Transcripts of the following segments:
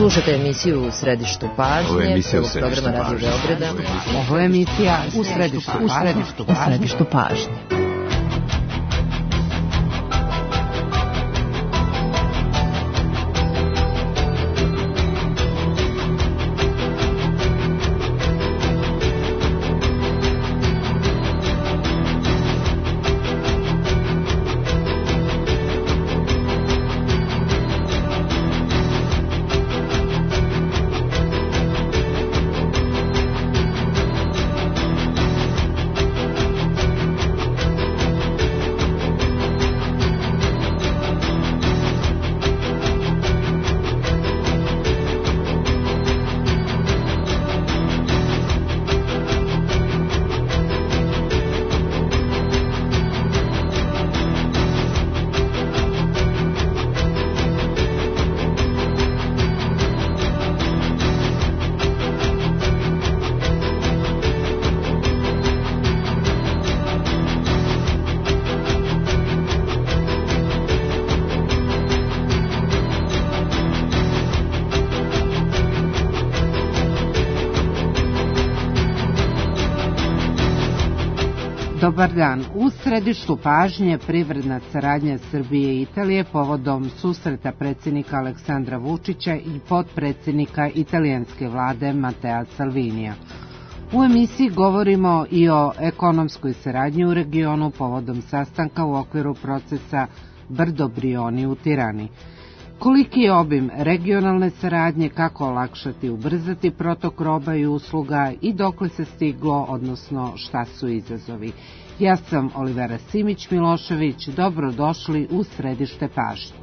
Slušate emisiju U središtu pažnje. Ovo je emisija U središtu programa Radio Beograda. Ovo je emisija U središtu pažnje. Dobar dan. U središtu pažnje privredna saradnja Srbije i Italije povodom susreta predsjednika Aleksandra Vučića i potpredsjednika italijanske vlade Matea Salvinija. U emisiji govorimo i o ekonomskoj saradnji u regionu povodom sastanka u okviru procesa Brdo Brioni u Tirani. Koliki je obim regionalne saradnje, kako olakšati i ubrzati protok roba i usluga i dokle se stiglo, odnosno šta su izazovi. Ja sam Olivera Simić-Milošević, dobrodošli u središte pažnje.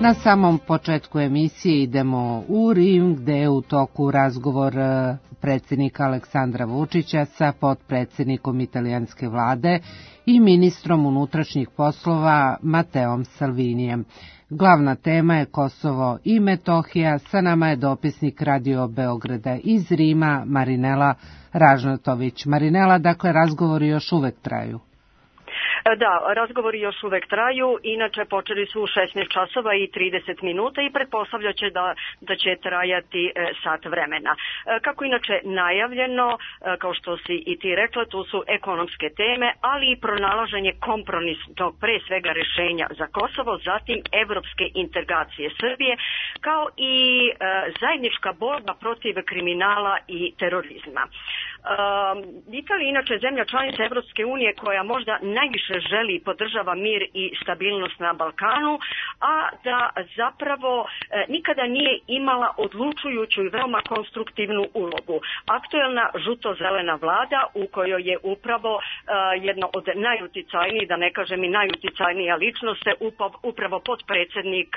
Na samom početku emisije idemo u Rim, gde je u toku razgovor predsjednika Aleksandra Vučića sa potpredsjednikom italijanske vlade i ministrom unutrašnjih poslova Mateom Salvinijem. Glavna tema je Kosovo i Metohija. Sa nama je dopisnik Radio Beograda iz Rima, Marinela Ražnatović. Marinela, dakle, razgovori još uvek traju. Da, razgovori još uvek traju, inače počeli su u 16 časova i 30 minuta i pretpostavlja će da će trajati sat vremena. Kako inače najavljeno, kao što si i ti rekla, tu su ekonomske teme, ali i pronalaženje kompromisnog pre svega rješenja za Kosovo, zatim evropske integracije Srbije, kao i zajednička borba protiv kriminala i terorizma. Italija inače zemlja članica Evropske unije koja možda najviše želi i podržava mir i stabilnost na Balkanu, a da zapravo nikada nije imala odlučujuću i veoma konstruktivnu ulogu. Aktuelna žuto-zelena vlada u kojoj je upravo jedna od najuticajnijih, da ne kažem i najuticajnija ličnost, upravo potpredsjednik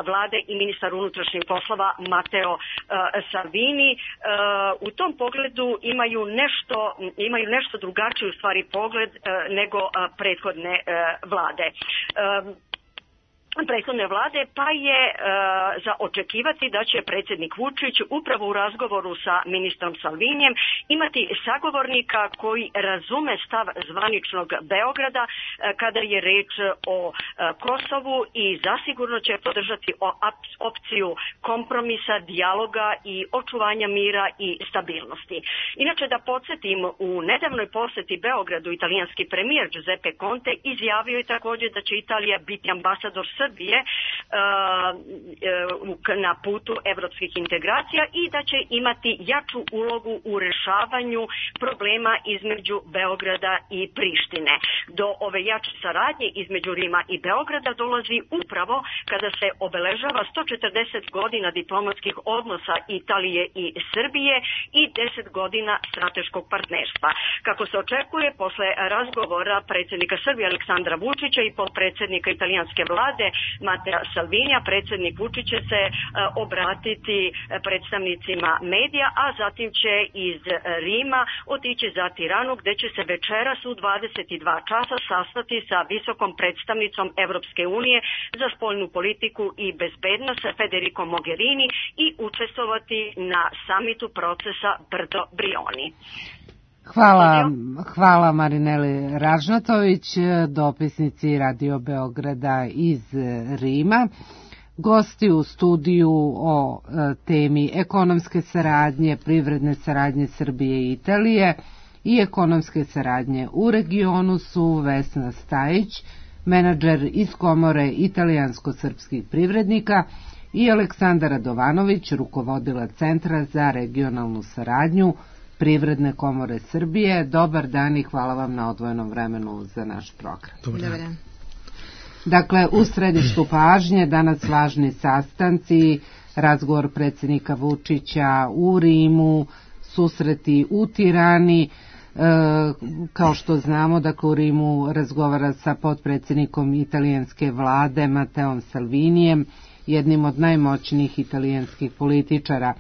vlade i ministar unutrašnjih poslova Mateo Salvini. U tom pogledu imaju nešto drugačiji u stvari pogled nego prethodne vlade. Pa je za očekivati da će predsjednik Vučić upravo u razgovoru sa ministrom Salvinijem imati sagovornika koji razume stav zvaničnog Beograda kada je reč o Kosovu i zasigurno će podržati opciju kompromisa, dijaloga i očuvanja mira i stabilnosti. Inače, da podsjetim, u nedavnoj posjeti Beogradu italijanski premijer Giuseppe Conte izjavio je također da će Italija biti ambasador Srbije na putu evropskih integracija i da će imati jaču ulogu u rješavanju problema između Beograda i Prištine. Do ove jače saradnje između Rima i Beograda dolazi upravo kada se obeležava 140 godina diplomatskih odnosa Italije i Srbije i 10 godina strateškog partnerstva. Kako se očekuje, posle razgovora predsjednika Srbije Aleksandra Vučića i potpredsjednika italijanske vlade Matea Salvinija, predsjednik Vučić će se obratiti predstavnicima medija, a zatim će iz Rima otići za Tiranu, gde će se večeras u 22 časa sastati sa visokom predstavnicom Evropske unije za spoljnu politiku i bezbednost Federico Mogherini i učestvovati na samitu procesa Brdo Brioni. Hvala Marineli Ražnatović, dopisnici Radio Beograda iz Rima. Gosti u studiju o temi ekonomske saradnje, privredne saradnje Srbije i Italije i ekonomske saradnje u regionu su Vesna Stajić, menadžer iz Komore italijansko-srpskih privrednika, i Aleksandar Radovanović, rukovodilac Centra za regionalnu saradnju Privredne komore Srbije. Dobar dan i hvala vam na odvojenom vremenu za naš program. Dobar dan. Dakle, u središtu pažnje danas važni sastanci, razgovor predsjednika Vučića u Rimu, susreti u Tirani. Kao što znamo, dakle, u Rimu razgovara sa potpredsjednikom italijanske vlade Mateom Salvinijem, jednim od najmoćnijih italijanskih političara.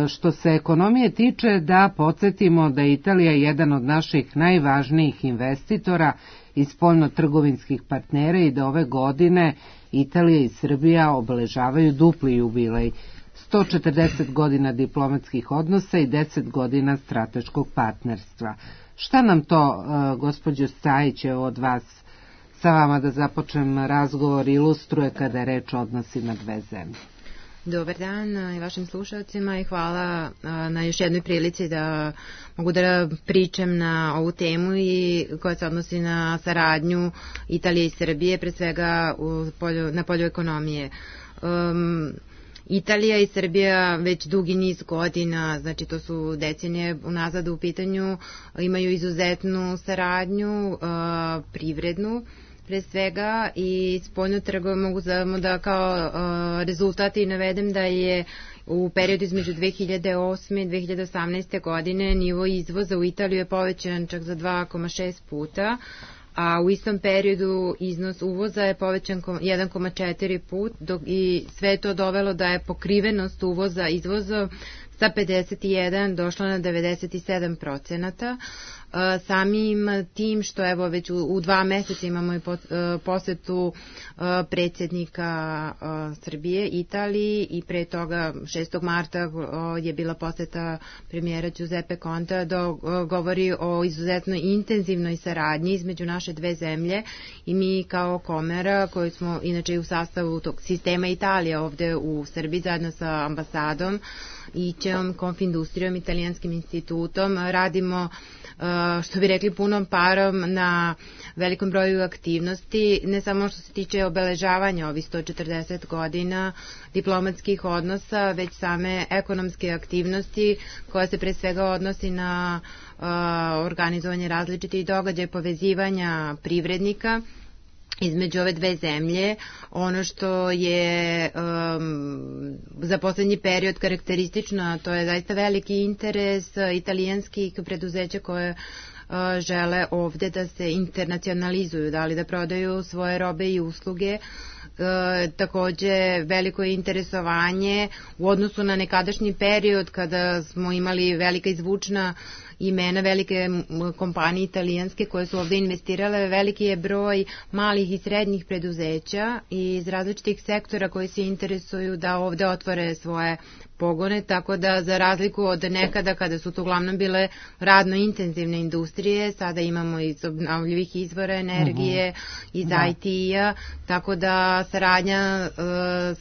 Što se ekonomije tiče, da podsjetimo da je Italija jedan od naših najvažnijih investitora i spoljno-trgovinskih partnera i da ove godine Italija i Srbija obeležavaju dupli jubilej, 140 godina diplomatskih odnosa i 10 godina strateškog partnerstva. Šta nam to, gospođo Stajić, od vas, sa vama da započnem razgovor, ilustruje kada je reč o odnosima dve zemlje? Dobar dan i vašim slušalcima i hvala na još jednoj prilici da mogu da pričam na ovu temu i koja se odnosi na saradnju Italije i Srbije, pre svega na polju ekonomije. Italija i Srbija već dugi niz godina, znači to su decenije unazad u pitanju, imaju izuzetnu saradnju, privrednu, pre svega, i spoljno trgovinu. Mogu da kao rezultati navedem da je u periodu između 2008. i 2018. godine nivo izvoza u Italiju je povećan čak za 2,6 puta, a u istom periodu iznos uvoza je povećan 1,4 put, i sve to dovelo da je pokrivenost uvoza izvozom sa 51 došla na 97%. Samim tim što evo već u 2 meseca imamo i posetu predsjednika Srbije Italiji i pre toga 6. marta je bila poseta premijera Giuseppe Contea, govori o izuzetno intenzivnoj saradnji između naše dve zemlje i mi kao Komora, koji smo inače u sastavu tog sistema Italije ovde u Srbiji zajedno sa ambasadom IČEom, Konfindustrijom, Italijanskim institutom, radimo, što bi rekli, punom parom na velikom broju aktivnosti, ne samo što se tiče obeležavanja ovih 140 godina diplomatskih odnosa, već same ekonomske aktivnosti koja se pre svega odnosi na organizovanje različitih događaja, povezivanja privrednika između ove dve zemlje. Ono što je za poslednji period karakteristično, to je zaista veliki interes italijanskih preduzeća koje žele ovde da se internacionalizuju, da li da prodaju svoje robe i usluge. Takođe veliko je interesovanje u odnosu na nekadašnji period kada smo imali velika izvučna imena, velike kompanije italijanske koje su ovde investirale, veliki je broj malih i srednjih preduzeća iz različitih sektora koji se interesuju da ovde otvore svoje pogone, tako da za razliku od nekada kada su to uglavnom bile radno intenzivne industrije, sada imamo iz obnovljivih izvora energije, iz IT-a, tako da saradnja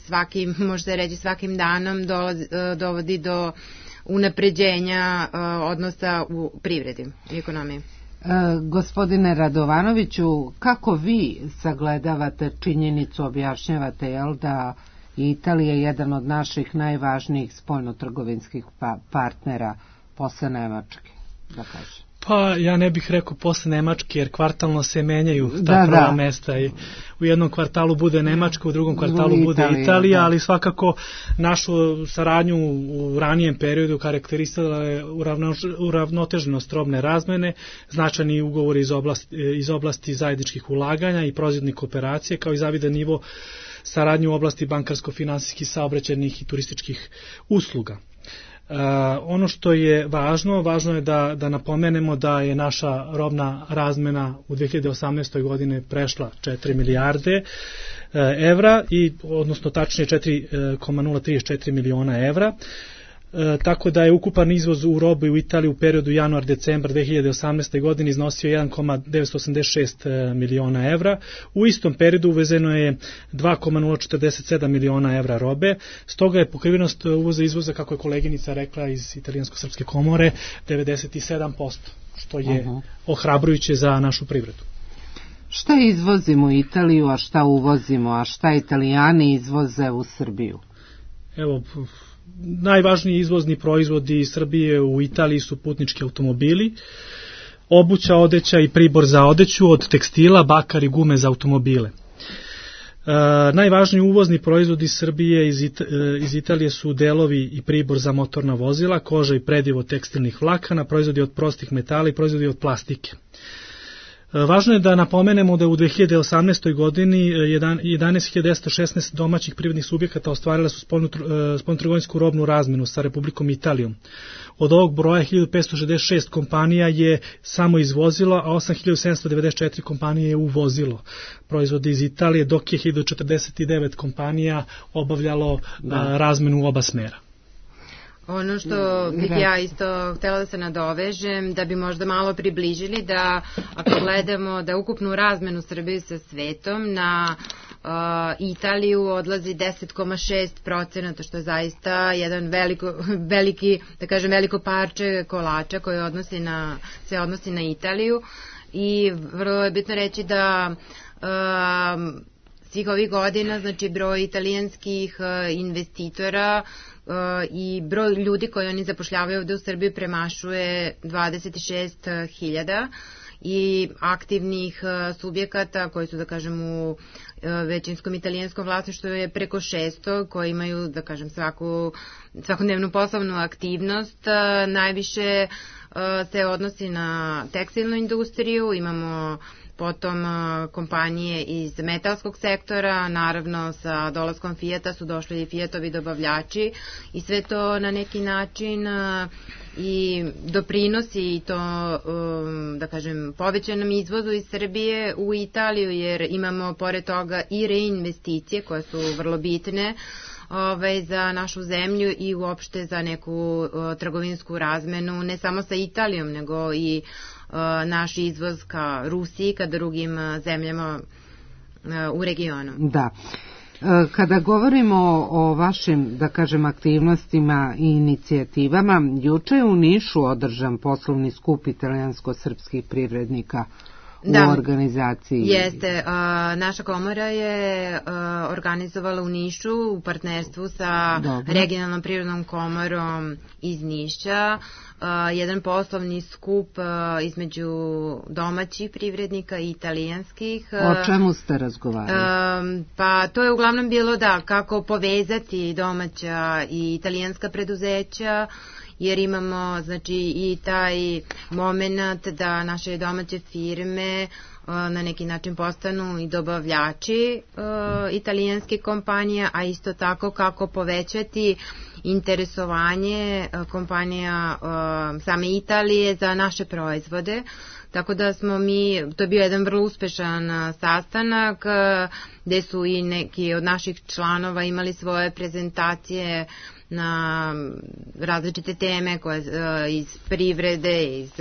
svakim, može se reći svakim danom dovodi do unapređenja odnosa u privredi i ekonomiji. Gospodine Radovanoviću, kako vi sagledavate činjenicu, objašnjavate, da Italija je jedan od naših najvažnijih spoljnotrgovinskih partnera posle Nemačke, da kažem? Pa ja ne bih rekao posle Nemačke, jer kvartalno se menjaju ta prva mesta i u jednom kvartalu bude Nemačka, u drugom kvartalu bude Italija, ali svakako našu saradnju u ranijem periodu karakterisala je uravnoteženost robne razmene, značajni ugovori iz oblasti zajedničkih ulaganja i proizvodnih kooperacije, kao i zavidan nivo saradnje u oblasti bankarsko-finansijskih, saobraćajnih i turističkih usluga. Ono što je važno je da napomenemo da je naša robna razmena u 2018. godine prešla 4 milijarde evra, odnosno tačnije 4,034 miliona evra. Tako da je ukupan izvoz u robu u Italiji u periodu januar-decembar 2018. godine iznosio 1,986 miliona evra. U istom periodu uvezeno je 2,047 miliona evra robe, stoga je pokrivenost uvoza i izvoza, kako je koleginica rekla iz Italijansko-srpske komore, 97%, što je ohrabrujuće za našu privredu. Šta izvozimo u Italiju, a šta uvozimo, a šta Italijani izvoze u Srbiju? Evo, najvažniji izvozni proizvodi Srbije u Italiji su putnički automobili, obuća, odeća i pribor za odeću, od tekstila, bakar i gume za automobile. Najvažniji uvozni proizvodi Srbije iz Italije su delovi i pribor za motorna vozila, koža i predivo tekstilnih vlakana, proizvodi od prostih metala i proizvodi od plastike. Važno je da napomenemo da u 2018. godini 11.216 domaćih privrednih subjekata ostvarila su spoljnotrgovinsku robnu razmenu sa Republikom Italijom. Od ovog broja 1566 kompanija je samo izvozilo, a 8794 kompanije je uvozilo proizvode iz Italije, dok je 1049 kompanija obavljalo razmenu u oba smera. Ono što bih ja isto htjela da se nadovežem, da bi možda malo približili da ako gledamo da ukupnu razmenu Srbije sa svetom na Italiju odlazi 10,6%, što je zaista jedan veliko parče kolača koje se odnosi na Italiju, i vrlo je bitno reći da svih ovih godina, znači broj italijanskih investitora i broj ljudi koji oni zapošljavaju ovde u Srbiji premašuje 26.000 i aktivnih subjekata koji su, da kažem, u većinskom italijanskom vlasništvu je preko 600, koji imaju, da kažem, svakodnevnu poslovnu aktivnost. Najviše se odnosi na tekstilnu industriju, imamo potom kompanije iz metalskog sektora, naravno sa dolaskom Fijata su došli i Fijatovi dobavljači, i sve to na neki način i doprinosi to, da kažem, povećanom izvozu iz Srbije u Italiju, jer imamo pored toga i reinvesticije koje su vrlo bitne za našu zemlju i uopšte za neku trgovinsku razmenu, ne samo sa Italijom, nego i naš izvoz ka Rusiji, ka drugim zemljama u regionu. Da. Kada govorimo o vašim, da kažem, aktivnostima i inicijativama, juče je u Nišu održan poslovni skup italijansko-srpskih privrednika u organizaciji. Jeste, naša komora je organizovala u Nišu u partnerstvu sa regionalnom privrednom komorom iz Niša jedan poslovni skup između domaćih privrednika i italijanskih. O čemu ste razgovarali? Pa to je uglavnom bilo kako povezati domaća i italijanska preduzeća, jer imamo, znači, i taj moment da naše domaće firme na neki način postanu i dobavljači italijanske kompanije, a isto tako kako povećati interesovanje kompanija same Italije za naše proizvode. Tako da smo to je bio jedan vrlo uspešan sastanak gde su i neki od naših članova imali svoje prezentacije na različite teme iz privrede, iz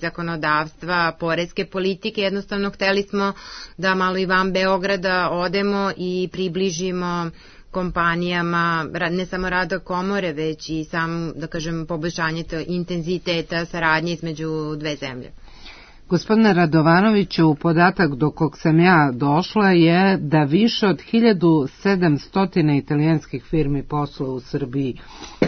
zakonodavstva, poreske politike. Jednostavno hteli smo da malo i van Beograda odemo i približimo kompanijama ne samo rada komore, već i sam, da kažem, poboljšanje intenziteta saradnje između dve zemlje. Gospodine Radovanoviću, podatak do kog sam ja došla je da više od 1700 italijanskih firmi posluje u Srbiji,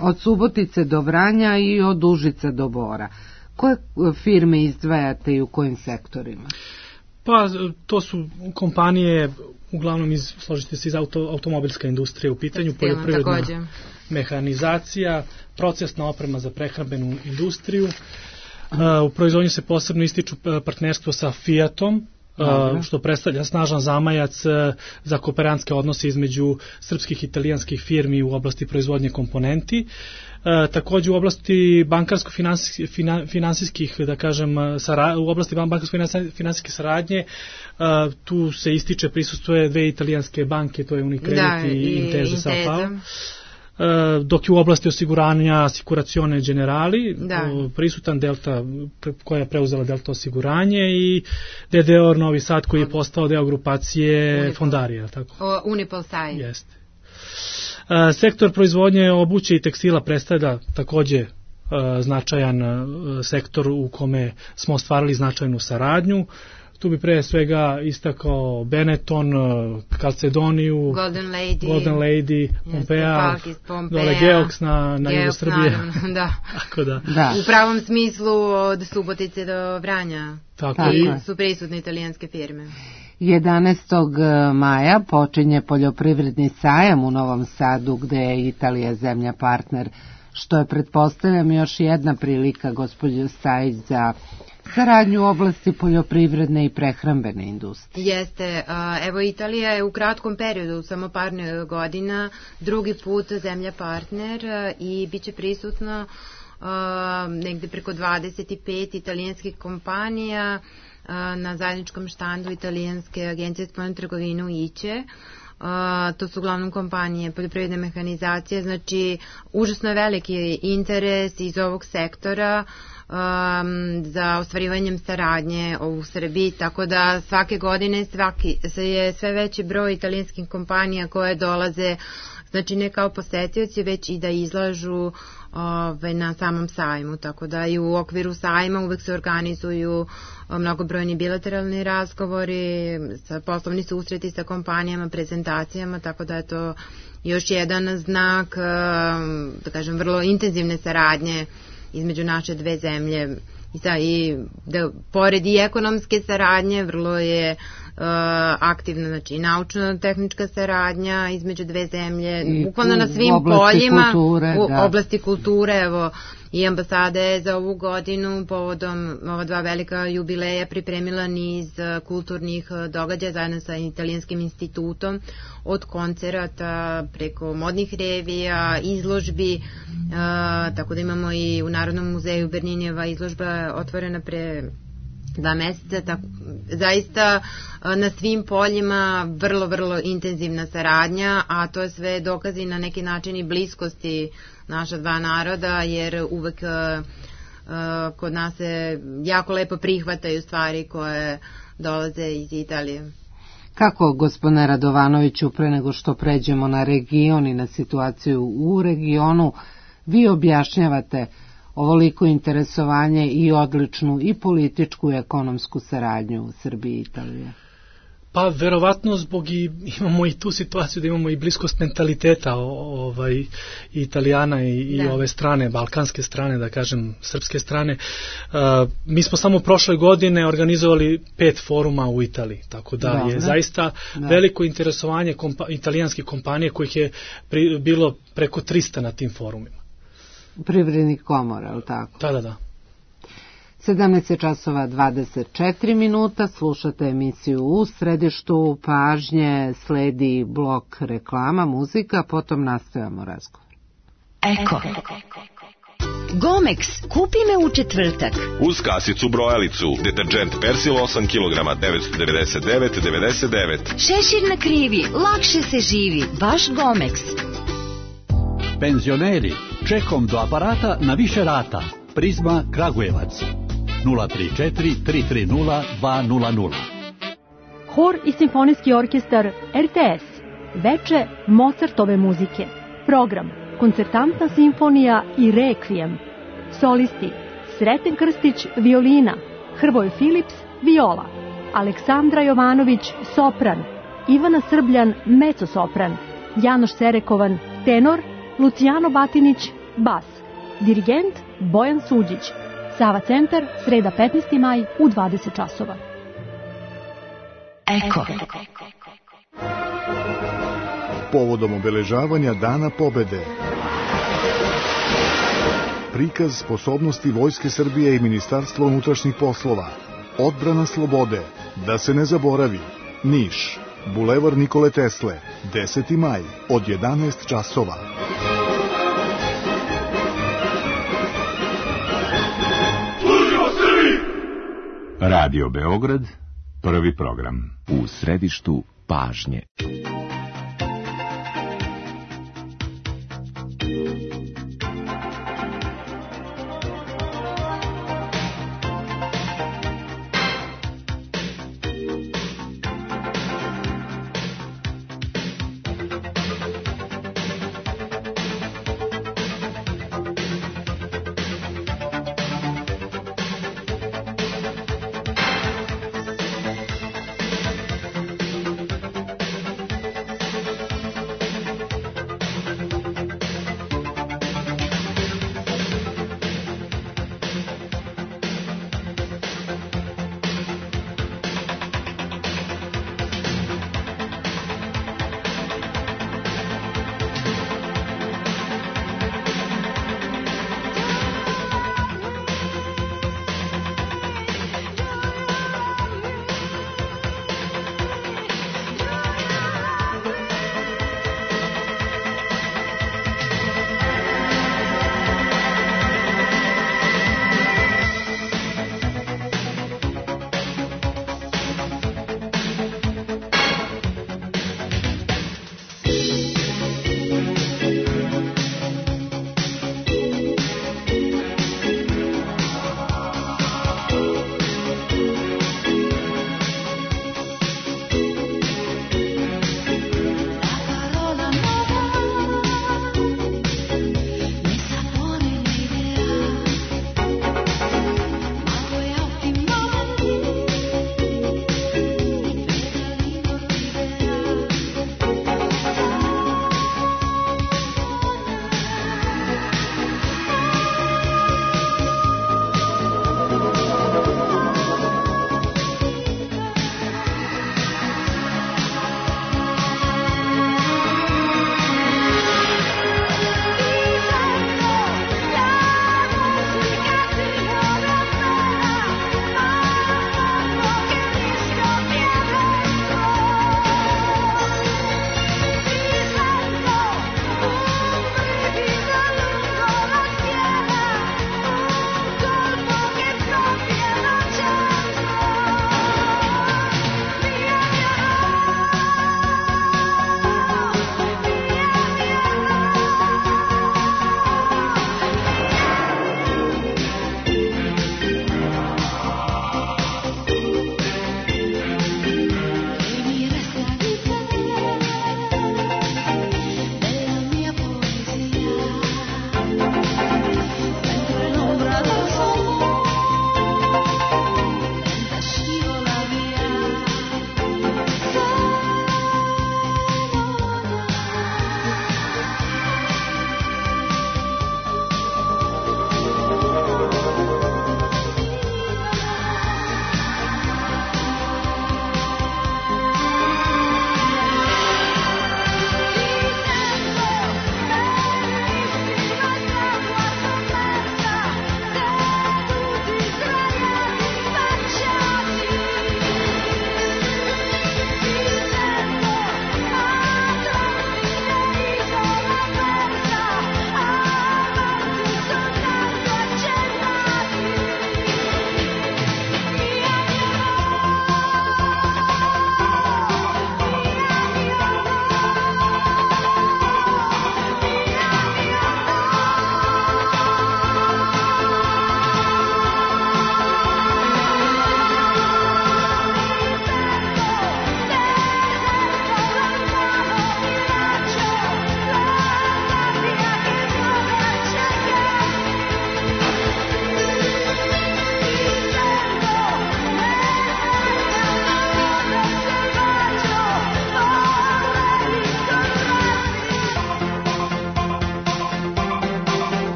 od Subotice do Vranja i od Užica do Bora. Koje firme izdvajate i u kojim sektorima? Pa to su kompanije uglavnom složite se iz automobilska industrija u pitanju, poljoprivredna mehanizacija, procesna oprema za prehrambenu industriju. U proizvodnji se posebno ističu partnerstvo sa Fiatom, što predstavlja snažan zamajac za kooperantske odnose između srpskih i italijanskih firmi u oblasti proizvodnje komponenti. Takođe u oblasti bankarsko-finansijskih, da kažem, u oblasti bankarsko-finansijske saradnje, tu se ističe, prisustuje dve italijanske banke, to je Unicredit i Intesa Sanpaolo. Dok je u oblasti osiguranja Assicurazione Generali prisutan Delta, koja je preuzela Delta osiguranje, i DDR Novi Sad, koji je postao deo grupacije Fondarija. Unipol Sai. Jeste. Sektor proizvodnje obuće i tekstila predstavlja takođe značajan sektor u kome smo ostvarili značajnu saradnju. Tu bi pre svega istakao Benetton, Calcedoniju, Golden Lady, Pompea, dole Geox na jugu Srbije. Da. U pravom smislu od Subotice do Vranja su prisutne italijanske firme. 11. maja počinje poljoprivredni sajam u Novom Sadu, gde je Italija zemlja partner, što je, pretpostavljam, još jedna prilika, gospođo Stajić, za saradnju u oblasti poljoprivredne i prehrambene industrije. Jeste. Evo, Italija je u kratkom periodu, samo par godina, drugi put zemlja partner i bit će prisutno negde preko 25 italijanskih kompanija na zajedničkom štandu italijanske agencije spoljnu trgovinu IČE. To su uglavnom kompanije poljoprivredne mehanizacije, znači užasno je veliki interes iz ovog sektora za ostvarivanjem saradnje u Srbiji, tako da svake godine je sve veći broj italijanskih kompanija koje dolaze, znači ne kao posetioci, već i da izlažu na samom sajmu, tako da i u okviru sajma uvek se organizuju mnogobrojni bilateralni razgovori, poslovni susreti sa kompanijama, prezentacijama, tako da je to još jedan znak, da kažem, vrlo intenzivne saradnje između naše dve zemlje. I da pored i ekonomske saradnje vrlo je aktivna, znači naučno-tehnička saradnja između dve zemlje, bukvalno na svim poljima, u oblasti kulture. Evo, i ambasada je za ovu godinu povodom ova dva velika jubileja pripremila niz kulturnih događaja zajedno sa Italijanskim institutom, od koncerata preko modnih revija, izložbi, tako da imamo i u Narodnom muzeju Berninijeva izložba otvorena pre 2 meseca, zaista na svim poljima vrlo, vrlo intenzivna saradnja, a to je sve dokazi na neki način i bliskosti naša dva naroda, jer uvek kod nas se jako lepo prihvataju stvari koje dolaze iz Italije. Kako, gospodine Radovanoviću, pre nego što pređemo na region i na situaciju u regionu, vi objašnjavate ovoliko interesovanje i odličnu i političku i ekonomsku saradnju u Srbiji i Italiji? Pa verovatno imamo i tu situaciju da imamo i bliskost mentaliteta Italijana i ove strane, balkanske strane, da kažem, srpske strane. Mi smo samo prošle godine organizovali 5 foruma u Italiji, tako da je zaista veliko interesovanje italijanskih kompanija, kojih je bilo preko 300 na tim forumima. Privrednih komora, je li tako? Da. 17:24, slušate emisiju U središtu pažnje, sledi blok reklama, muzika, potom nastavljamo razgovor. Eko. Gomex, kupi me u četvrtak. Uz kasicu brojalicu, deterđent Persil 8 kg, 999,99. Šešir na krivi, lakše se živi, baš Gomex. Penzioneri, čekom do aparata na više rata. Prizma Kragujevac 034 330 200. Hor i simfonijski orkestar RTS. Veče Mozartove muzike. Program Koncertantna simfonija i Rekvijem. Solisti Sreten Krstić violina, Hrvoje Filips viola, Aleksandra Jovanović sopran, Ivana Srbljan mezzo-sopran, Janoš Serekovan tenor, Lucijano Batinić bas. Dirigent Bojan Suđić. Sava centar, sreda 15. maj u 20 časova. Eko. Povodom obeležavanja Dana pobede. Prikaz sposobnosti Vojske Srbije i Ministarstva unutrašnjih poslova. Odbrana slobode. Da se ne zaboravi. Niš. Bulevar Nikole Tesle. 10. maj od 11 časova. Radio Beograd, prvi program. U središtu pažnje.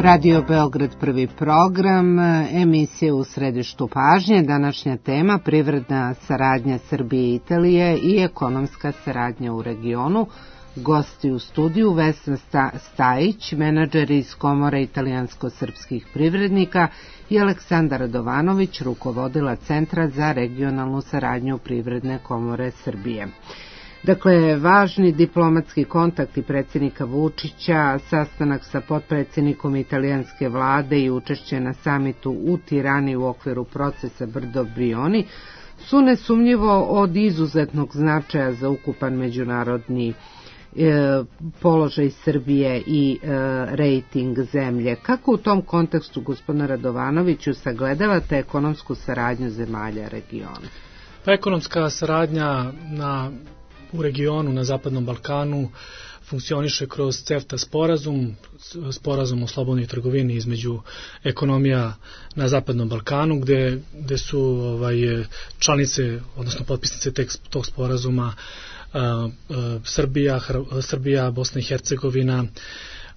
Radio Beograd prvi program, emisija u središtu pažnje, današnja tema privredna saradnja Srbije i Italije i ekonomska saradnja u regionu. Gosti u studiju Vesna Stajić, menadžer iz Komore italijansko-srpskih privrednika i Aleksandar Radovanović, rukovodila Centra za regionalnu saradnju Privredne komore Srbije. Dakle, važni diplomatski kontakti predsjednika Vučića, sastanak sa potpredsjednikom italijanske vlade i učešće na samitu u Tirani u okviru procesa Brdo-Brioni su nesumnjivo od izuzetnog značaja za ukupan međunarodni položaj Srbije i rejting zemlje. Kako u tom kontekstu, gospodine Radovanoviću, sagledavate ekonomsku saradnju zemalja regiona? Pa ekonomska saradnja u regionu, na Zapadnom Balkanu, funkcioniše kroz CEFTA sporazum o slobodnoj trgovini između ekonomija na Zapadnom Balkanu, gde su članice, odnosno potpisnice tog sporazuma Srbija, Bosna i Hercegovina,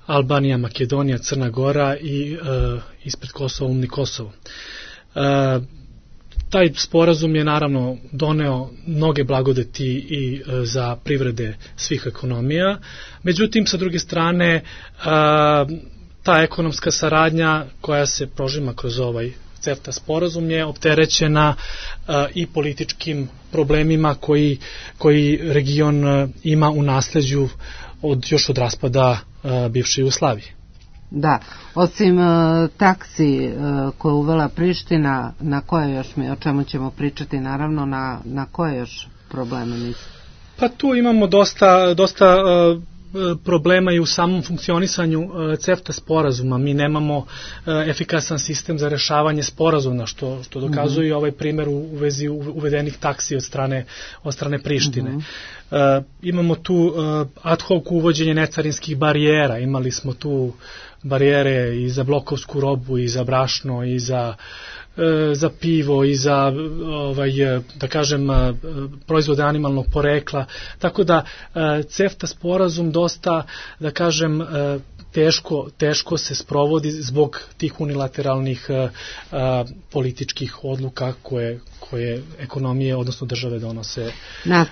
Albanija, Makedonija, Crna Gora i ispred Kosova umni Kosovo. Taj sporazum je naravno doneo mnoge blagodeti i za privrede svih ekonomija, međutim sa druge strane ta ekonomska saradnja koja se prožima kroz ovaj CEFTA sporazum je opterećena i političkim problemima koji region ima u nasleđu još od raspada bivše Jugoslavije. Da, osim taksi koje uvela Priština, na koje još o čemu ćemo pričati, naravno, na koje još probleme misli? Pa tu imamo dosta problema i u samom funkcionisanju CEFTA sporazuma. Mi nemamo efikasan sistem za rešavanje sporazuma, što dokazuje i ovaj primjer u vezi uvedenih taksi od strane Prištine. Imamo tu ad hoc uvođenje necarinskih barijera, imali smo tu barijere i za blokovsku robu, i za brašno, i za pivo, i za da kažem proizvode animalnog porekla, tako da CEFTA sporazum dosta, da kažem, teško se sprovodi zbog tih unilateralnih političkih odluka koje ekonomije, odnosno države donose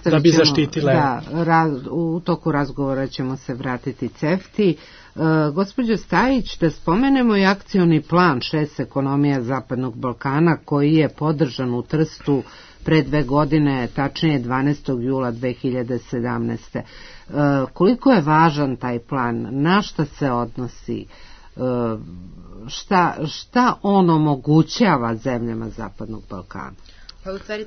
da bi zaštitile. Da, u toku razgovora ćemo se vratiti CEFTI. Gospođo Stajić, da spomenemo i akcioni plan 6 ekonomija Zapadnog Balkana koji je podržan u Trstu pre 2 godine, tačnije 12. jula 2017. Koliko je važan taj plan? Na šta se odnosi? Šta on omogućava zemljama Zapadnog Balkana? Pa u stvari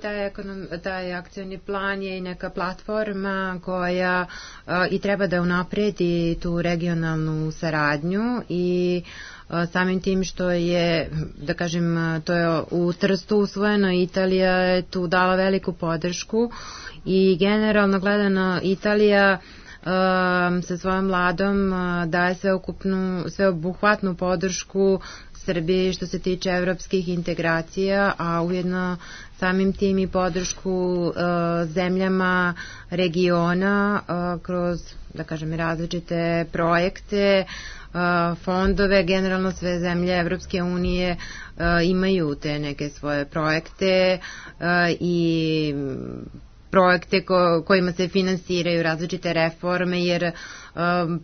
taj akcioni plan je i neka platforma koja i treba da unapredi tu regionalnu saradnju i samim tim što je, da kažem, to je u Trstu usvojeno, Italija je tu dala veliku podršku i generalno gledano Italija sa svojom vladom daje sveobuhvatnu podršku Srbiji što se tiče evropskih integracija, a ujedno samim tim i podršku zemljama regiona kroz, da kažem, različite projekte, fondove. Generalno sve zemlje Evropske unije imaju te neke svoje projekte i projekte kojima se finansiraju različite reforme, jer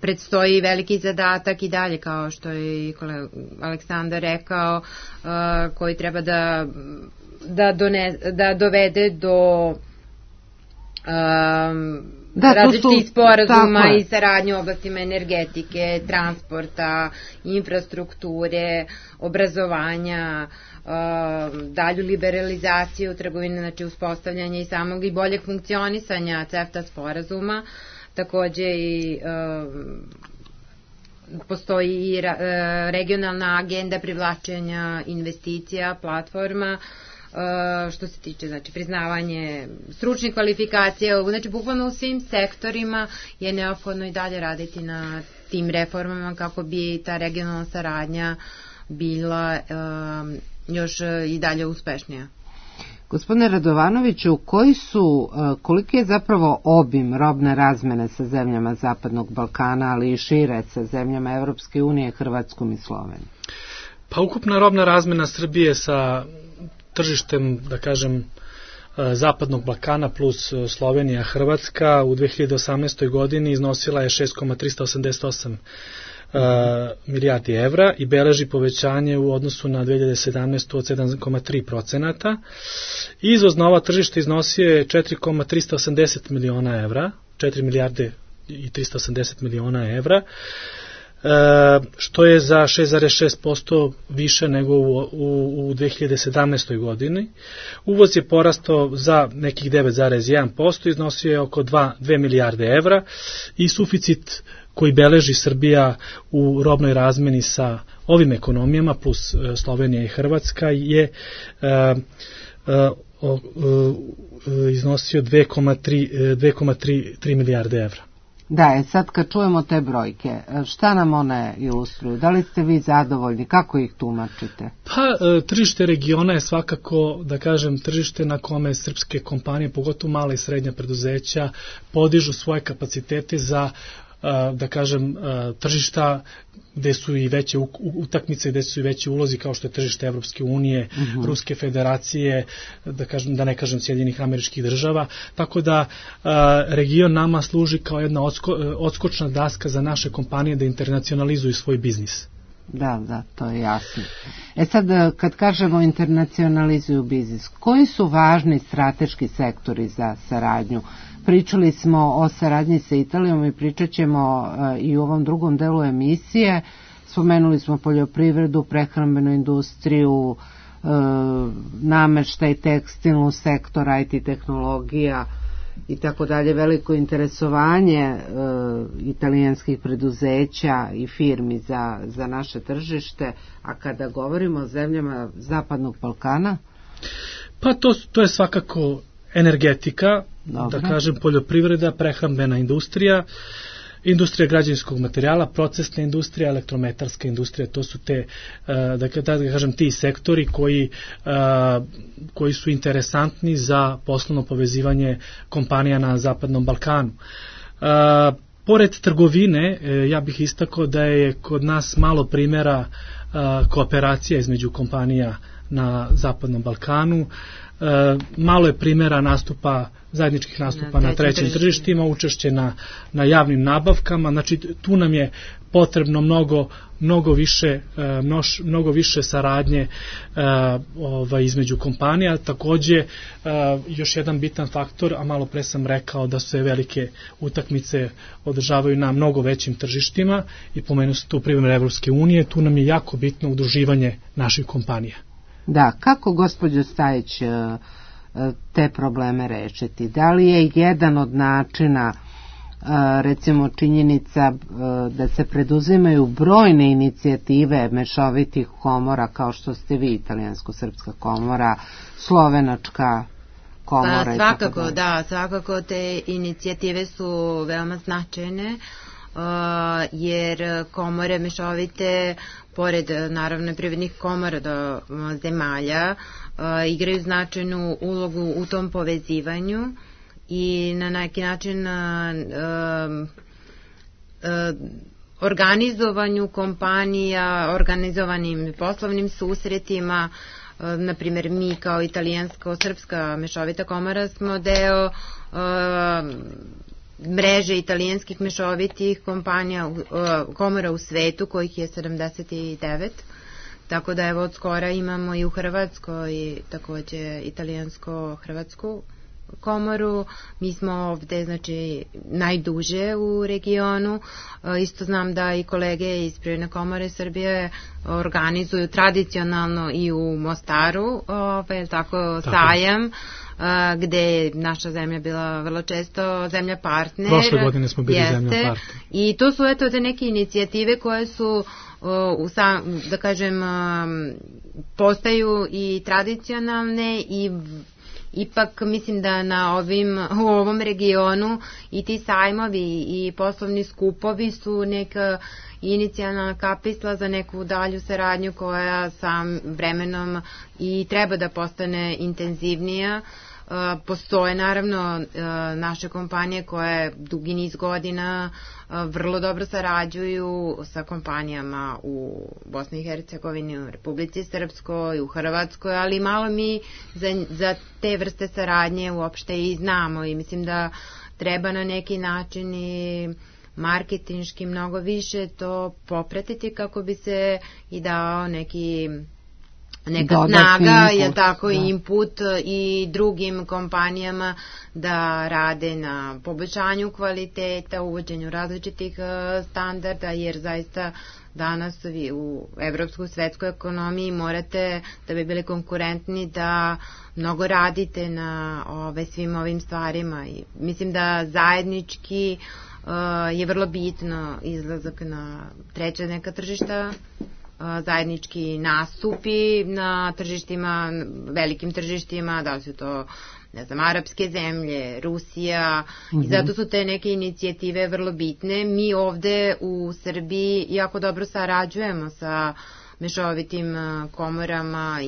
predstoji veliki zadatak i dalje, kao što je Aleksandar rekao, koji treba da dovede do različitih sporazuma i saradnju u oblastima energetike, transporta, infrastrukture, obrazovanja, dalju liberalizaciju trgovine, znači uspostavljanje i samog i boljeg funkcionisanja CEFTA sporazuma. Takođe i postoji i regionalna agenda privlačenja investicija, platforma, što se tiče, znači, priznavanje stručnih kvalifikacija, znači bukvalno u svim sektorima je neophodno i dalje raditi na tim reformama kako bi ta regionalna saradnja bila još i dalje uspešnija. Gospodine Radovanoviću, koliki je zapravo obim robne razmene sa zemljama Zapadnog Balkana, ali i šire sa zemljama Evropske unije, Hrvatskom i Slovenijom? Pa ukupna robna razmena Srbije sa tržištem, da kažem, Zapadnog Balkana plus Slovenija, Hrvatska u 2018. godini iznosila je 6,388 milijardi evra i beleži povećanje u odnosu na 2017. od 7,3%. Izvoz na ova tržišta iznosio je 4,380 miliona evra, 4 milijarde i 380 miliona evra, što je za 6,6% više nego u 2017. godini. Uvoz je porastao za nekih 9,1%, iznosio je oko 2 milijarde evra i suficit koji beleži Srbija u robnoj razmeni sa ovim ekonomijama plus Slovenija i Hrvatska je iznosio 2,3 milijarde evra. Da, sad kad čujemo te brojke, šta nam one ilustruju? Da li ste vi zadovoljni? Kako ih tumačite? Pa, tržište regiona je svakako, da kažem, tržište na kome srpske kompanije, pogotovo mala i srednja preduzeća, podižu svoje kapacitete za, da kažem, tržišta gde su i veće utakmice, gde su i veći ulozi kao što je tržište Evropske unije, Ruske federacije, da ne kažem Sjedinjenih Američkih Država, tako da region nama služi kao jedna odskočna daska za naše kompanije da internacionalizuju svoj biznis. Da, to je jasno. Sad, kad kažemo internacionalizuju biznis, koji su važni strateški sektori za saradnju? Pričali smo o saradnji sa Italijom i pričat ćemo i u ovom drugom delu emisije. Spomenuli smo poljoprivredu, prehrambenu industriju, nameštaj, tekstilnu sektor, IT tehnologija i tako dalje. Veliko interesovanje italijanskih preduzeća i firmi za naše tržište. A kada govorimo o zemljama Zapadnog Balkana? Pa to je svakako energetika, da kažem poljoprivreda, prehrambena industrija, industrija građevinskog materijala, procesna industrija, elektrometarska industrija, to su te, da kažem, ti sektori koji su interesantni za poslovno povezivanje kompanija na Zapadnom Balkanu. Pored trgovine, ja bih istakao da je kod nas malo primjera kooperacija između kompanija na Zapadnom Balkanu. Malo je primjera zajedničkih nastupa na trećim tržištima, učešće na javnim nabavkama, znači tu nam je potrebno mnogo više saradnje između kompanija. Takođe, još jedan bitan faktor, a malo pre sam rekao da se velike utakmice održavaju na mnogo većim tržištima i pomenuo se tu primjer Evropske unije, tu nam je jako bitno udruživanje naših kompanija. Da, kako, gospođo Stajić, te probleme rešiti? Da li je jedan od načina, recimo činjenica da se preduzimaju brojne inicijative mešovitih komora, kao što ste vi, Italijansko-srpska komora, Slovenačka komora? Svakako, da, svakako te inicijative su veoma značajne, jer komore mešovite, pored naravno privrednih komora do zemalja, igraju značajnu ulogu u tom povezivanju i na neki način organizovanju kompanija, organizovanim poslovnim susretima. Na primjer, mi kao Italijansko-srpska mešovita komora smo deo mreže italijanskih mešovitih komora u svetu, kojih je 79. Tako da evo od skora imamo i u Hrvatskoj takođe italijansko-hrvatsku komoru. Mi smo ovde, znači, najduže u regionu. Isto znam da i kolege iz Privredne komore Srbije organizuju tradicionalno i u Mostaru, sajam, gde je naša zemlja bila vrlo često zemlja partner. Prošle godine smo bili zemlja partner. I to su te neke inicijative koje su, da kažem, postaju i tradicionalne ipak mislim da u ovom regionu i ti sajmovi i poslovni skupovi su neka inicijalna kapisla za neku dalju saradnju koja sam vremenom i treba da postane intenzivnija. Postoje naravno naše kompanije koje dugi niz godina vrlo dobro sarađuju sa kompanijama u Bosni i Hercegovini, u Republici Srpskoj, u Hrvatskoj, ali malo mi za te vrste saradnje uopšte i znamo i mislim da treba na neki način i marketinški mnogo više to popratiti kako bi se i dao neka snaga, je tako, input i drugim kompanijama da rade na poboljšanju kvaliteta, uvođenju različitih standarda, jer zaista danas vi u evropskoj svetskoj ekonomiji morate, da bi bili konkurentni, da mnogo radite na svim ovim stvarima i mislim da zajednički je vrlo bitno izlazak na treća neka tržišta, zajednički nastupi na tržištima, velikim tržištima, da su to, ne znam, arapske zemlje, Rusija, i zato su te neke inicijative vrlo bitne. Mi ovde u Srbiji jako dobro sarađujemo sa mešovitim komorama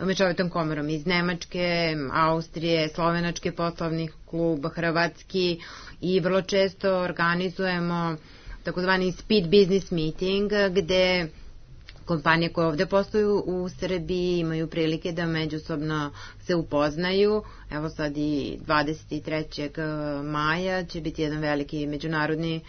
mešovitom komorom iz Nemačke, Austrije, Slovenački poslovni klub, Hrvatski, i vrlo često organizujemo takozvani speed business meeting, gde kompanije koje ovde posluju u Srbiji imaju prilike da međusobno se upoznaju. Evo sad i 23. maja će biti jedan veliki međunarodni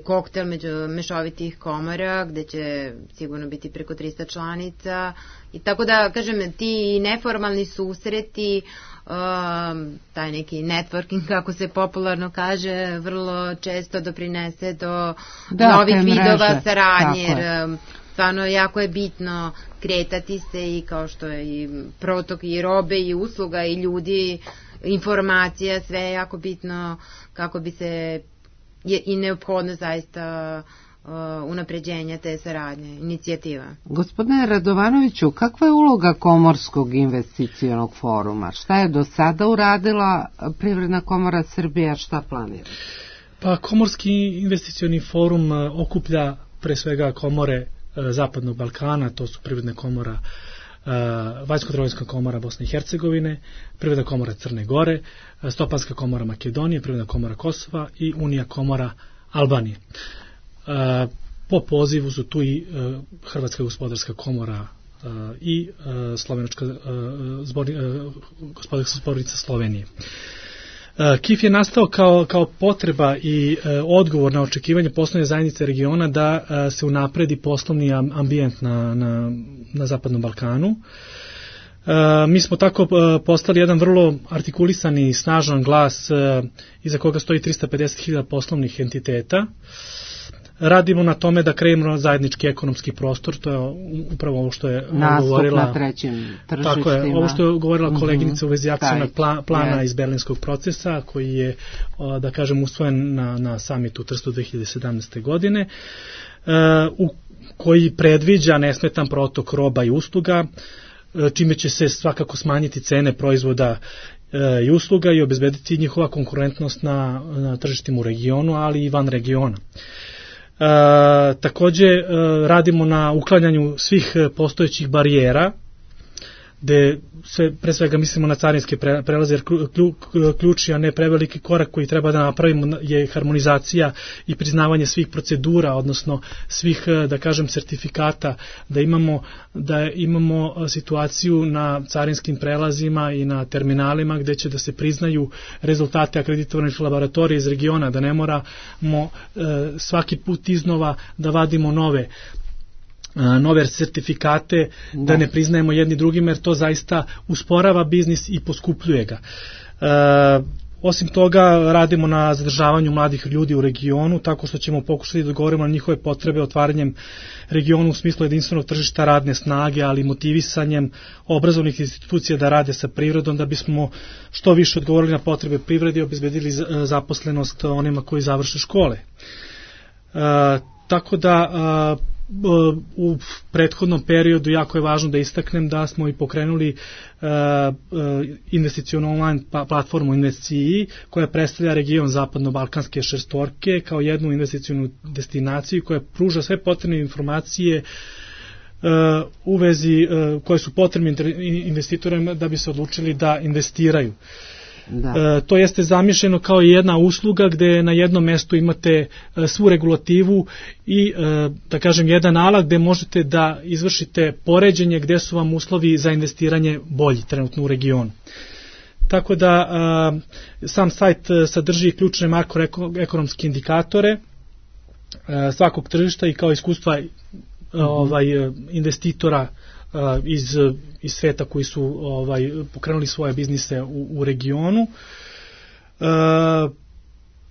koktel mešovitih komora, gde će sigurno biti preko 300 članica. I tako da, kažem, ti neformalni susreti, taj neki networking, kako se popularno kaže, vrlo često doprinese do novih vidova saradnje, jer stvarno jako je bitno kretati se i kao što je i protok i robe i usluga i ljudi, informacija, sve je jako bitno kako bi se i neophodno zaista unapređenja te saradnje, inicijativa. Gospodine Radovanoviću, kakva je uloga Komorskog investicionog foruma? Šta je do sada uradila Privredna komora Srbije, a šta planira? Pa Komorski investicioni forum okuplja pre svega komore Zapadnog Balkana, to su Privredna komora Vajsko-Trgovinska komora Bosne i Hercegovine, Privredna komora Crne Gore, Stopanska komora Makedonije, Privredna komora Kosova i Unija komora Albanije. Po pozivu su tu i Hrvatska gospodarska komora i Slovenačka gospodarska zbornica Slovenije. KIF je nastao kao potreba i odgovor na očekivanje poslovne zajednice regiona da se unapredi poslovni ambijent na Zapadnom Balkanu. Mi smo tako postali jedan vrlo artikulisani i snažan glas iza koga stoji 350.000 poslovnih entiteta. Radimo na tome da kreiramo zajednički ekonomski prostor, to je upravo ovo što je govorila na trećim tržištima. Tako je, ovo što je govorila koleginica u vezi akcionog plana iz Berlinskog procesa, koji je, da kažem, usvojen na samitu u Trstu 2017. godine, koji predviđa nesmetan protok roba i usluga, čime će se svakako smanjiti cene proizvoda i usluga i obezbediti njihova konkurentnost na tržištima u regionu, ali i van regiona. Takođe radimo na uklanjanju svih postojećih barijera, gde pre svega mislimo na carinske prelaze, jer ključni, a ne preveliki korak koji treba da napravimo je harmonizacija i priznavanje svih procedura, odnosno svih, da kažem, sertifikata, da imamo situaciju na carinskim prelazima i na terminalima gde će da se priznaju rezultate akreditovanih laboratorija iz regiona, da ne moramo svaki put iznova da vadimo nove sertifikate, da ne priznajemo jedni drugim, jer to zaista usporava biznis i poskupljuje ga. Osim toga, radimo na zadržavanju mladih ljudi u regionu, tako što ćemo pokušati da odgovorimo na njihove potrebe otvaranjem regionu u smislu jedinstvenog tržišta radne snage, ali motivisanjem obrazovnih institucija da rade sa privredom, da bismo što više odgovorili na potrebe privrede i obezbedili zaposlenost onima koji završe škole. Tako da u prethodnom periodu jako je važno da istaknem da smo i pokrenuli investicionu online platformu InvestCI koja predstavlja region zapadno-balkanske šestorke kao jednu investicionu destinaciju koja pruža sve potrebne informacije u vezi koje su potrebni investitorima da bi se odlučili da investiraju. Da. To jeste zamišljeno kao jedna usluga gde na jednom mestu imate svu regulativu i da kažem jedan alat gde možete da izvršite poređenje gde su vam uslovi za investiranje bolji trenutno u regionu. Tako da sam sajt sadrži ključne makroekonomske indikatore svakog tržišta i kao iskustva investitora iz sveta koji su pokrenuli svoje biznise u regionu.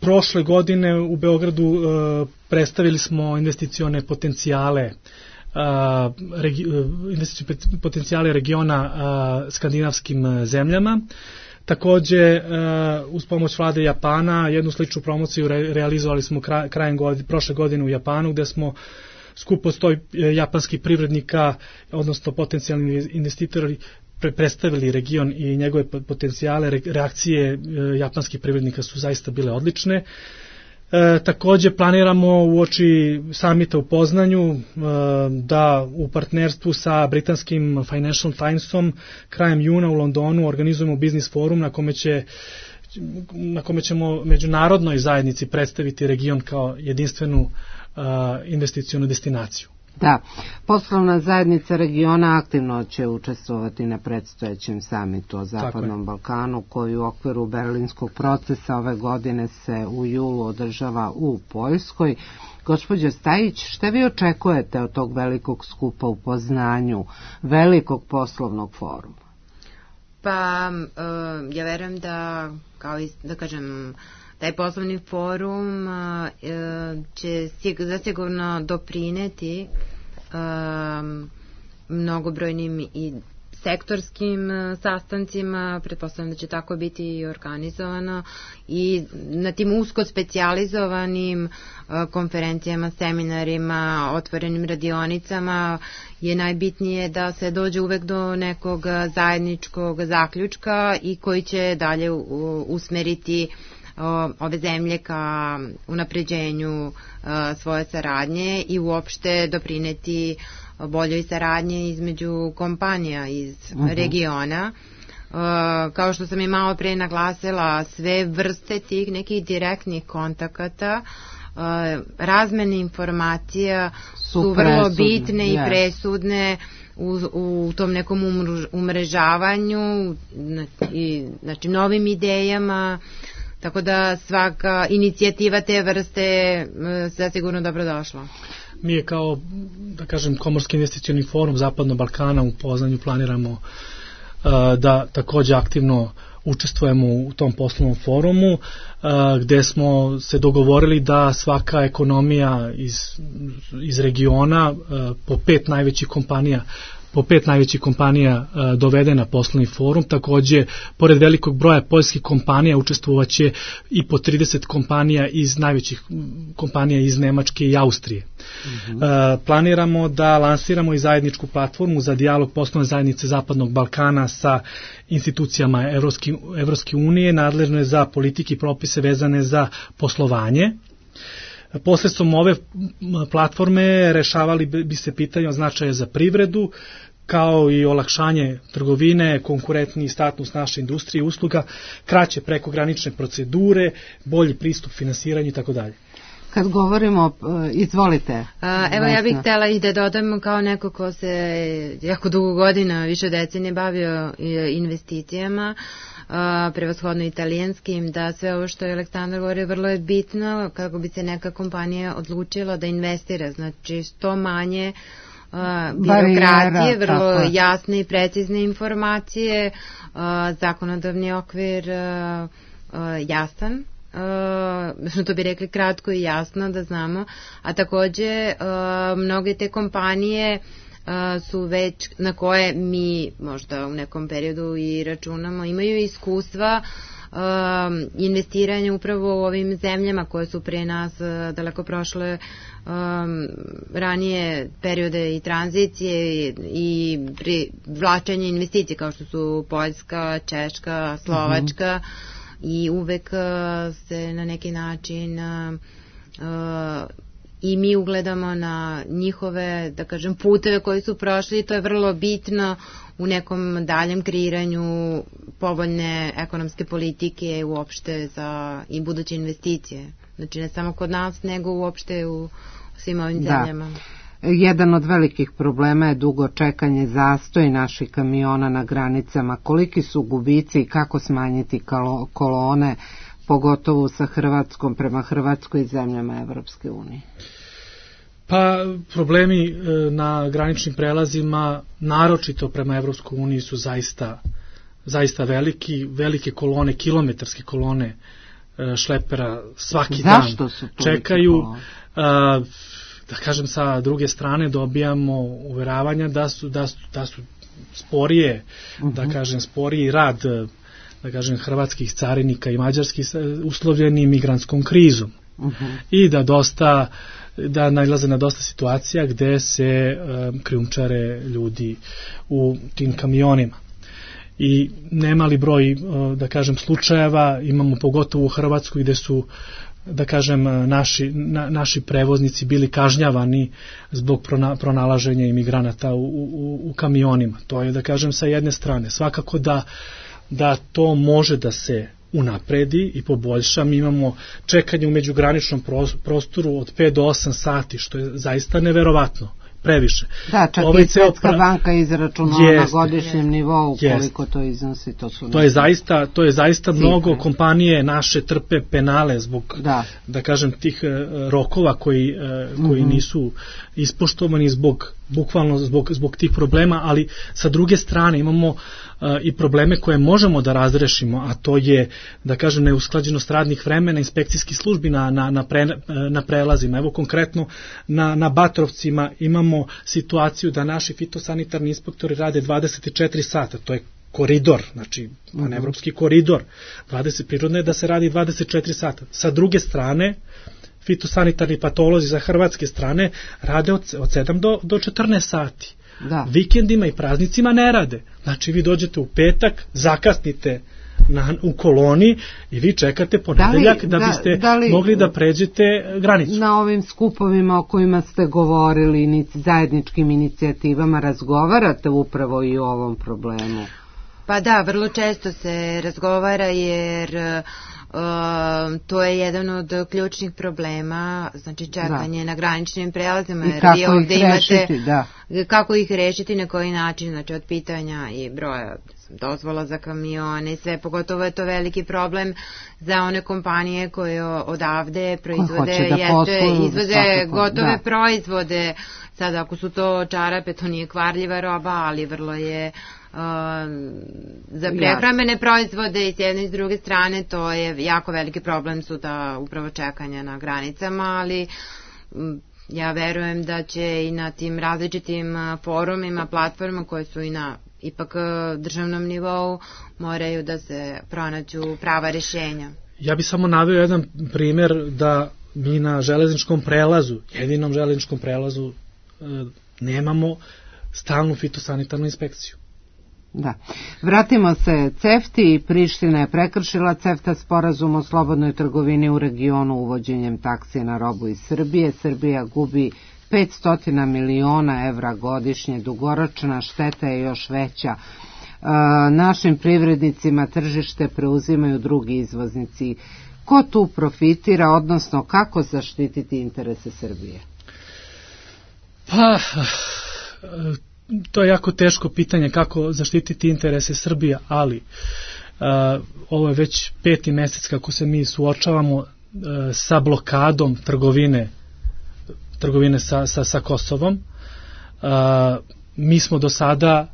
Prošle godine u Beogradu predstavili smo investicione potencijale regiona skandinavskim zemljama. Takođe, uz pomoć vlade Japana, jednu sličnu promociju realizovali smo krajem prošle godine u Japanu, gde smo skup od 100 japanskih privrednika, odnosno potencijalni investitori, predstavili region i njegove potencijale. Reakcije japanskih privrednika su zaista bile odlične. Takođe planiramo uoči samita u Poznanju da u partnerstvu sa britanskim Financial Timesom krajem juna u Londonu organizujemo biznis forum na kome ćemo međunarodnoj zajednici predstaviti region kao jedinstvenu investicionu destinaciju. Da, poslovna zajednica regiona aktivno će učestvovati na predstojećem samitu o Zapadnom Balkanu, koji u okviru berlinskog procesa ove godine se u julu održava u Poljskoj. Gospođo Stajić, šta vi očekujete od tog velikog skupa u Poznanju, velikog poslovnog foruma? Pa, ja verujem da, kao i, da kažem, taj poslovni forum će zasigurno doprineti mnogobrojnim i sektorskim sastancima, pretpostavljam da će tako biti i organizovano, i na tim usko specijalizovanim konferencijama, seminarima, otvorenim radionicama je najbitnije da se dođe uvek do nekog zajedničkog zaključka i koji će dalje usmeriti ove zemlje ka unapređenju svoje saradnje i uopšte doprineti boljoj saradnje između kompanija iz regiona. Kao što sam i malo pre naglasila, sve vrste tih nekih direktnih kontakata, razmene informacija su vrlo bitne i presudne u tom nekom umrežavanju, znači novim idejama. Tako da svaka inicijativa te vrste zasigurno dobrodošla. Mi je kao, da kažem, Komorski investicioni forum Zapadnog Balkana u Poznanju planiramo da takođe aktivno učestvujemo u tom poslovnom forumu, gde smo se dogovorili da svaka ekonomija iz regiona po pet najvećih kompanija dovede na poslovni forum. Takođe, pored velikog broja poljskih kompanija učestvovaće i po 30 kompanija iz najvećih kompanija iz Nemačke i Austrije. Planiramo da lansiramo i zajedničku platformu za dijalog poslovne zajednice Zapadnog Balkana sa institucijama Evropske unije, nadležne za politike i propise vezane za poslovanje. Posledstvom ove platforme rešavali bi se pitanja od značaja za privredu, kao i olakšanje trgovine, konkurentni status naše industrije i usluga, kraće prekogranične procedure, bolji pristup finansiranju i tako dalje. Kad govorimo, izvolite. Evo, ja bih htjela i da dodam kao neko ko se jako dugo godina, više decenije bavio investicijama, prevashodno italijanskim, da sve ovo što je Aleksandar govorio vrlo je bitno kako bi se neka kompanija odlučila da investira, znači što manje birokratije, vrlo jasne i precizne informacije, zakonodavni okvir jasan, to bi rekli kratko i jasno da znamo, a takođe mnoge te kompanije su već, na koje mi možda u nekom periodu i računamo, imaju iskustva investiranje upravo u ovim zemljama koje su pre nas daleko prošle ranije periode i tranzicije i privlačenje investicije kao što su Poljska, Češka, Slovačka i uvek se na neki način i mi ugledamo na njihove, da kažem, puteve koji su prošli i to je vrlo bitno u nekom daljem kreiranju povoljne ekonomske politike uopšte za i buduće investicije. Znači ne samo kod nas, nego uopšte u svim ovim zemljama. Jedan od velikih problema je dugo čekanje, zastoj naših kamiona na granicama. Koliki su gubici i kako smanjiti kolone, pogotovo sa Hrvatskom, prema Hrvatskoj i zemljama Evropske unije? Pa problemi na graničnim prelazima, naročito prema Evropskoj uniji, su zaista velike kolone, kilometarske kolone šlepera svaki dan čekaju. Da kažem, sa druge strane dobijamo uveravanja da su sporije, da kažem, sporiji rad, da kažem, hrvatskih carinika i mađarskih uslovljeni migrantskom krizom. I da nailaze na dosta situacija gde se krijumčare ljudi u tim kamionima. I nemali broj, da kažem, slučajeva imamo pogotovo u Hrvatskoj gde su, da kažem, naši prevoznici bili kažnjavani zbog pronalaženja imigranata u kamionima. To je, da kažem, sa jedne strane. Svakako da to može da se unapredi i poboljša. Mi imamo čekanje u međugraničnom prostoru od 5 do 8 sati, što je zaista neverovatno, previše. Da, čak i Svetska banka izračunala na godišnjem nivou koliko to iznosi. To je zaista mnogo. Kompanije naše trpe penale zbog, da kažem, tih rokova koji nisu ispoštovani bukvalno zbog tih problema, ali sa druge strane imamo i probleme koje možemo da razrešimo, a to je, da kažem, neusklađenost radnih vremena inspekcijskih službi na prelazima. Evo konkretno na Batrovcima imamo situaciju da naši fitosanitarni inspektori rade 24 sata, to je koridor, znači panevropski koridor, prirodno je da se radi 24 sata. Sa druge strane, fitosanitarni patolozi za hrvatske strane rade od 7 do 14 sati. Vikendima i praznicima ne rade. Znači vi dođete u petak, zakasnite u koloni i vi čekate ponedeljak da biste mogli da pređete granicu. Na ovim skupovima o kojima ste govorili, zajedničkim inicijativama, razgovarate upravo i o ovom problemu? Pa da, vrlo često se razgovara jer to je jedan od ključnih problema, znači čekanje na graničnim prelazima. I kako ih rešiti, kako ih rešiti, na koji način, znači od pitanja i broja dozvola za kamione i sve, pogotovo je to veliki problem za one kompanije koje odavde izvoze gotove proizvode. Sada ako su to čarape, to nije kvarljiva roba, ali vrlo je za prehrambene proizvode i s jedne i s druge strane to je jako veliki problem, su ta upravo čekanja na granicama, ali ja verujem da će i na tim različitim forumima, platformama koje su i na ipak državnom nivou moraju da se pronađu prava rješenja. Ja bih samo naveo jedan primjer da mi na železničkom prelazu, jedinom železničkom prelazu, nemamo stalnu fitosanitarnu inspekciju. Da. Vratimo se CEFTA-i. Priština je prekršila CEFTA sporazum o slobodnoj trgovini u regionu uvođenjem taksi na robu iz Srbije. Srbija gubi 500 miliona evra godišnje, dugoročna šteta je još veća. Našim privrednicima tržište preuzimaju drugi izvoznici. Ko tu profitira, odnosno kako zaštititi interese Srbije? Pa, to je jako teško pitanje kako zaštititi interese Srbije, ali ovo je već 5. mesec kako se mi suočavamo sa blokadom trgovine sa Kosovom. Mi smo do sada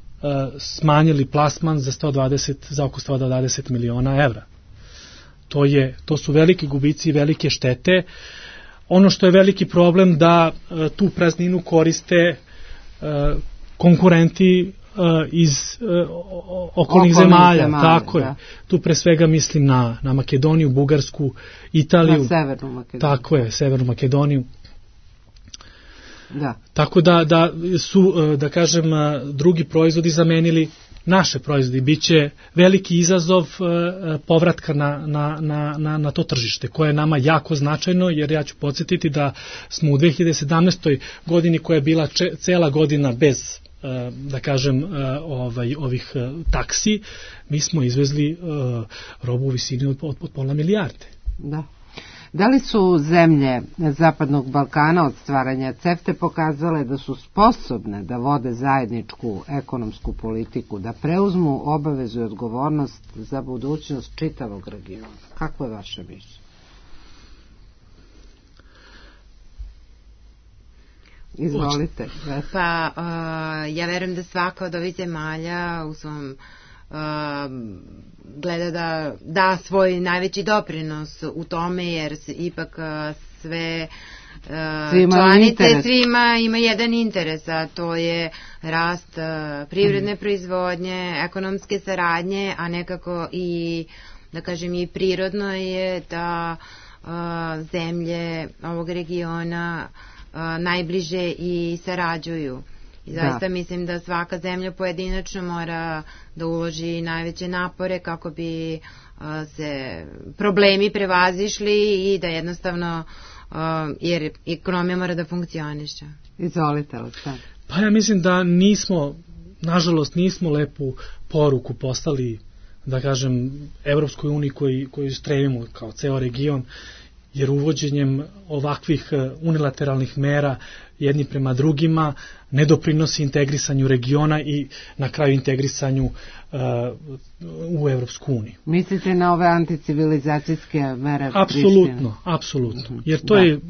smanjili plasman za oko 120 miliona evra. To su veliki gubici i velike štete. Ono što je veliki problem da tu prazninu koriste konkurenti iz okolnih zemalja, tako je. Tu pre svega mislim na Makedoniju, Bugarsku, Italiju. Na Severnu Makedoniju. Tako je, Severnu Makedoniju. Da. Tako da su, da kažem, drugi proizvodi zamenili naše proizvodi. Biće veliki izazov povratka na to tržište, koje je nama jako značajno, jer ja ću podsjetiti da smo u 2017. godini, koja je bila cela godina bez, da kažem, ovih taksi, mi smo izvezli robu u visini od pola milijarde. Da. Da li su zemlje Zapadnog Balkana od stvaranja CEFTA pokazale da su sposobne da vode zajedničku ekonomsku politiku, da preuzmu obavezu i odgovornost za budućnost čitavog regiona? Kako je vaše mišljenje? Izvolite. Pa, ja verujem da svaka od ovih zemalja u svom gleda da da svoj najveći doprinos u tome, jer ipak sve članice, svima ima jedan interes, a to je rast privredne proizvodnje, ekonomske saradnje, a nekako i, da kažem, i prirodno je da zemlje ovog regiona najbliže i sarađuju. I zaista mislim da svaka zemlja pojedinačno mora da uloži najveće napore kako bi se problemi prevazišli i da jednostavno, jer ekonomija mora da funkcioniše. Izvolite, Aleksandar. Pa ja mislim da nažalost nismo lepu poruku poslali, da kažem, Evropskoj uniji koju stremimo kao ceo region, jer uvođenjem ovakvih unilateralnih mera jedni prema drugima ne doprinosi integrisanju regiona i na kraju integrisanju u Evropsku uniju. Mislite na ove anticivilizacijske mere? Apsolutno. Jer to je,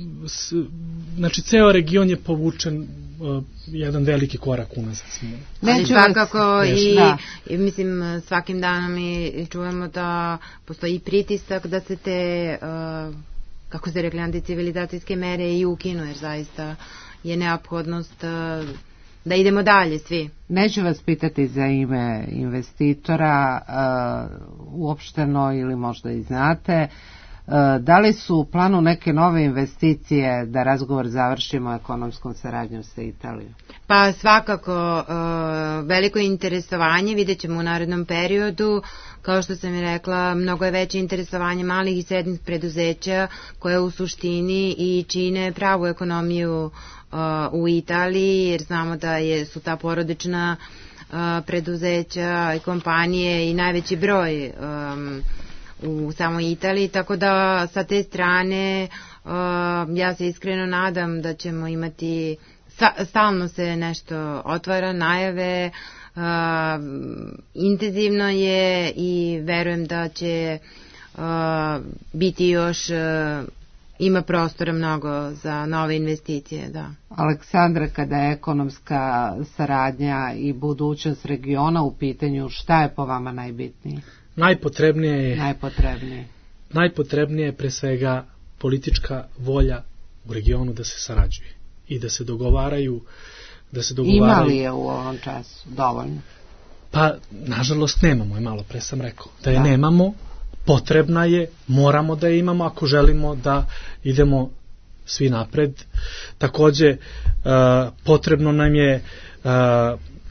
znači, ceo region je povučen jedan veliki korak unazad. Ali svakako i mislim, svakim danom i čujemo da postoji pritisak da se te, kako ste rekli, anticivilizacijske mere i ukinu, jer zaista je neophodnost da idemo dalje svi. Neću vas pitati za ime investitora uopšteno ili možda i znate. Da li su u planu neke nove investicije da razgovor završimo ekonomskom saradnjom sa Italijom? Pa svakako veliko interesovanje, vidjet ćemo u narednom periodu. Kao što sam i rekla, mnogo je veće interesovanje malih i srednjih preduzeća koje u suštini i čine pravu ekonomiju u Italiji, jer znamo da su ta porodična preduzeća i kompanije i najveći broj u samoj Italiji, tako da sa te strane ja se iskreno nadam da ćemo imati, stalno se nešto otvara, najave, intenzivno je i verujem da će biti još, ima prostora mnogo za nove investicije, da. Aleksandra, kada je ekonomska saradnja i budućnost regiona u pitanju, šta je po vama najbitnije? Najpotrebnije je pre svega politička volja u regionu da se sarađuje i da se dogovaraju. Ima li je u ovom času dovoljno? Pa, nažalost, nemamo je, malo pre sam rekao. Da je nemamo, potrebna je, moramo da je imamo ako želimo da idemo svi napred. Takođe, potrebno nam je,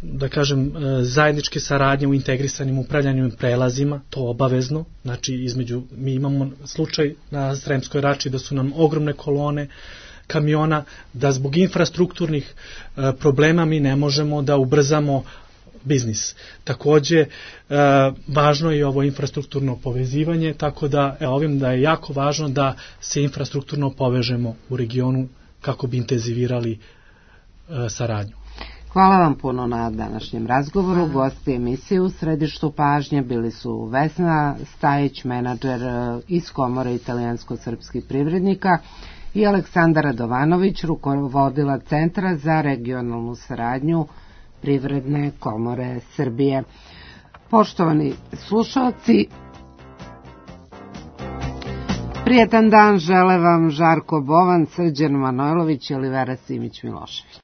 da kažem, zajedničke saradnje u integrisanim upravljanjem prelazima, to obavezno, znači mi imamo slučaj na Sremskoj Rači da su nam ogromne kolone kamiona, da zbog infrastrukturnih problema mi ne možemo da ubrzamo biznis. Takođe, važno je ovo infrastrukturno povezivanje, tako da ovim da je jako važno da se infrastrukturno povežemo u regionu kako bi intenzivirali saradnju. Hvala vam puno na današnjem razgovoru. Gosti emisije u središtu pažnje bili su Vesna Stajić, menadžer iz Komore italijansko-srpskih privrednika, i Aleksandar Radovanović, rukovodila Centra za regionalnu saradnju Privredne komore Srbije. Poštovani slušalci, prijetan dan žele vam Žarko Bovan, Srđan Manojlović i Olivera Simić Milošević.